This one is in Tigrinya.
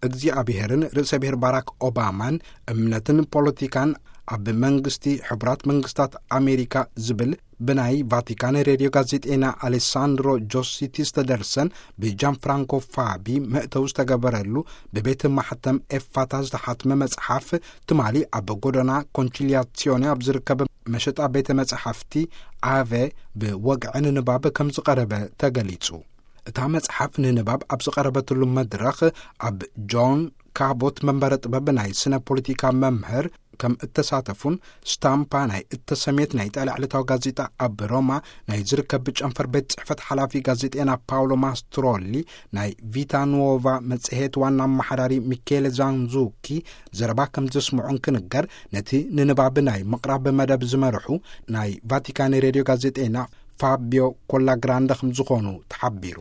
እግዚኣብሔርን ርእሰ ብሔር ባራክ ኦባማን እምነትን ፖለቲካን ኣብ መንግስቲ ሕቡራት መንግስታት ኣሜሪካ ዝብል ብናይ ቫቲካን ሬድዮ ጋዜጤና ኣሌሳንድሮ ጆሲቲ ዝተደርሰን ብጃን ፍራንኮ ፋቢ መእተው ዝተገበረሉ ብቤት ማሕተም ኤፋታ ዝተሓትመ መጽሓፍ ትማሊ ኣብ ጎደና ኮንቺሊያሲዮኒ ኣብ ዝርከብ መሸጣ ቤተ መጽሓፍቲ ኣቨ ብወግዒ ንንባብ ከም ዝቐረበ ተገሊጹ። እታ መጽሓፍ ንንባብ ኣብ ዝቐረበትሉ መድረኽ ኣብ ጆን ካቦት መንበረ ጥበብ ናይ ስነ ፖለቲካ መምህር ከም እተሳተፉን ስታምፓ ናይ እተሰሜት ናይ ጣልያ ዕለታዊ ጋዜጣ ኣብ ሮማ ናይ ዝርከብ ጨንፈር ቤት ጽሕፈት ሓላፊ ጋዜጤና ፓውሎ ማስትሮሊ ናይ ቪታ ኑዎቫ መጽሔት ዋና ኣመሓዳሪ ሚኬለ ዛንዙኪ ዘረባ ከም ዘስምዑን ክንገር፣ ነቲ ንንባብ ናይ ምቕራብ መደብ ዝመርሑ ናይ ቫቲካን ሬድዮ ጋዜጤና ፋቢዮ ኮላግራንደ ከም ዝኾኑ ተሓቢሩ።